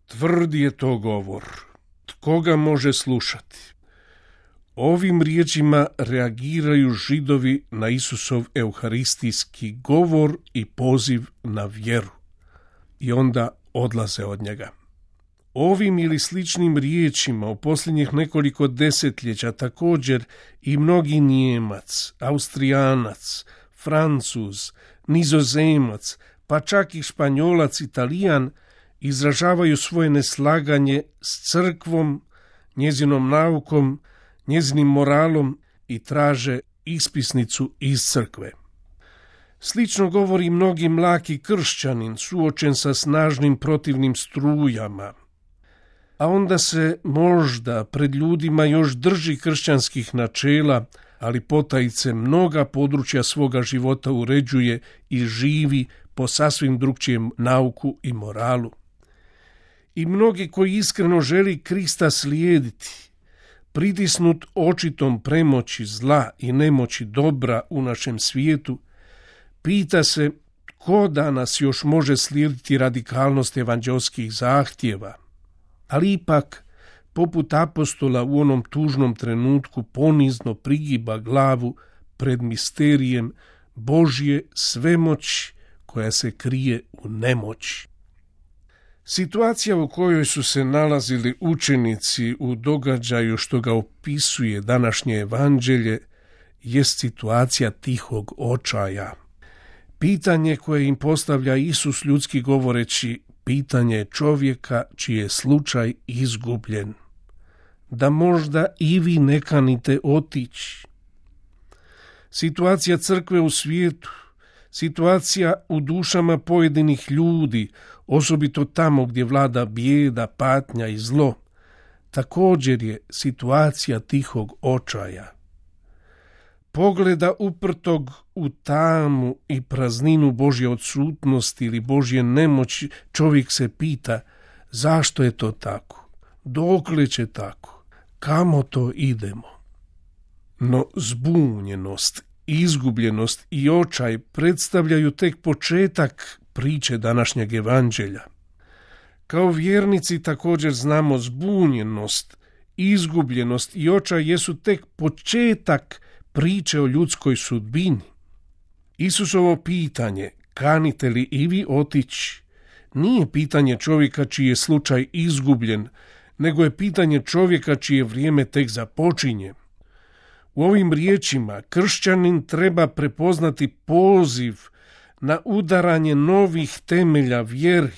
Tvrd je to govor. Tko ga može slušati? Ovim riječima reagiraju Židovi na Isusov euharistijski govor i poziv na vjeru. I onda odlaze od njega. Ovim ili sličnim riječima u posljednjih nekoliko desetljeća također i mnogi Nijemac, Austrijanac, Francuz, Nizozemac, pa čak i Španjolac, Italijan izražavaju svoje neslaganje s crkvom, njezinom naukom, njezinim moralom i traže ispisnicu iz crkve. Slično govori mnogi mlaki kršćanin suočen sa snažnim protivnim strujama, a onda se možda pred ljudima još drži kršćanskih načela, ali potajice mnoga područja svoga života uređuje i živi po sasvim drugčijem nauku i moralu. I mnogi koji iskreno želi Krista slijediti, pritisnut očitom premoći zla i nemoći dobra u našem svijetu, pita se tko danas još može slijediti radikalnost evanđelskih zahtjeva, ali ipak, poput apostola u onom tužnom trenutku ponizno prigiba glavu pred misterijem Božje svemoći koja se krije u nemoći. Situacija u kojoj su se nalazili učenici u događaju što ga opisuje današnje evanđelje jest situacija tihog očaja. Pitanje koje im postavlja Isus ljudski govoreći, pitanje čovjeka čiji je slučaj izgubljen. Da možda i vi ne kanite otići. Situacija crkve u svijetu, situacija u dušama pojedinih ljudi, osobito tamo gdje vlada bijeda, patnja i zlo, također je situacija tihog očaja. Pogleda uprtog u tamu i prazninu Božje odsutnosti ili Božje nemoći, čovjek se pita zašto je to tako, dokle će tako, kamo to idemo. No zbunjenost, izgubljenost i očaj predstavljaju tek početak priče današnjeg evanđelja. Kao vjernici također znamo zbunjenost, izgubljenost i očaj jesu tek početak priče o ljudskoj sudbini. Isusovo pitanje, kanite li i vi otići, nije pitanje čovjeka čiji je slučaj izgubljen, nego je pitanje čovjeka čije vrijeme tek započinje. U ovim riječima kršćanin treba prepoznati poziv na udaranje novih temelja vjeri,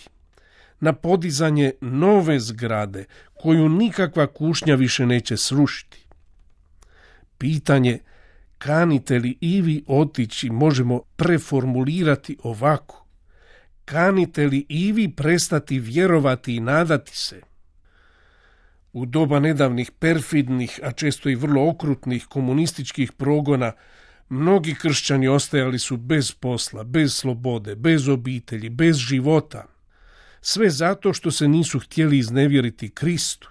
na podizanje nove zgrade koju nikakva kušnja više neće srušiti. Pitanje kanite li i vi otići možemo preformulirati ovako. Kanite li i vi prestati vjerovati i nadati se? U doba nedavnih perfidnih, a često i vrlo okrutnih komunističkih progona, mnogi kršćani ostajali su bez posla, bez slobode, bez obitelji, bez života. Sve zato što se nisu htjeli iznevjeriti Kristu.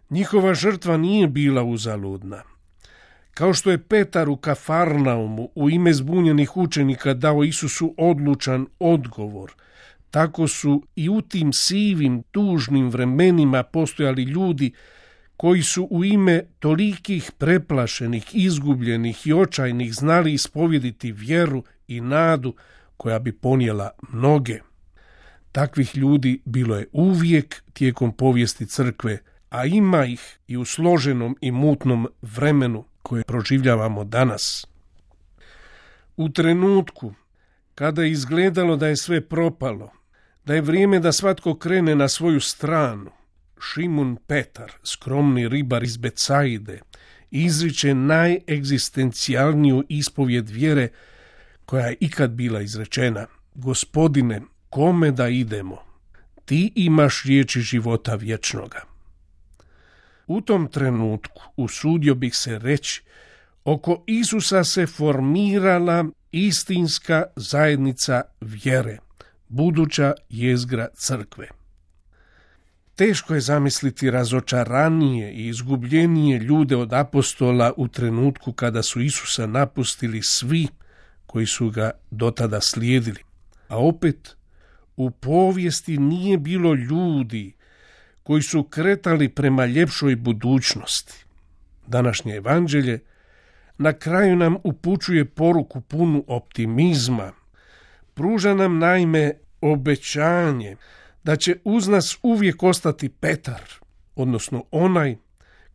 Njihova žrtva nije bila uzaludna. Kao što je Petar u Kafarnaumu u ime zbunjenih učenika dao Isusu odlučan odgovor, tako su i u tim sivim, tužnim vremenima postojali ljudi koji su u ime tolikih preplašenih, izgubljenih i očajnih znali ispovjediti vjeru i nadu koja bi ponijela mnoge. Takvih ljudi bilo je uvijek tijekom povijesti crkve, a ima ih i u složenom i mutnom vremenu koje proživljavamo danas. U trenutku kada je izgledalo da je sve propalo, da je vrijeme da svatko krene na svoju stranu, Šimun Petar, skromni ribar iz Becajde, izriče najegzistencijalniju ispovjed vjere koja je ikad bila izrečena. Gospodine, kome da idemo? Ti imaš riječi života vječnoga. U tom trenutku, usudio bih se reći, oko Isusa se formirala istinska zajednica vjere, buduća jezgra crkve. Teško je zamisliti razočaranije i izgubljenije ljude od apostola u trenutku kada su Isusa napustili svi koji su ga dotada slijedili. A opet, U povijesti nije bilo ljudi koji su kretali prema ljepšoj budućnosti. Današnje evanđelje na kraju nam upućuje poruku punu optimizma. Pruža nam naime obećanje da će uz nas uvijek ostati Petar, odnosno onaj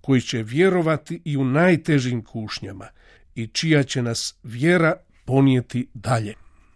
koji će vjerovati i u najtežim kušnjama i čija će nas vjera ponijeti dalje.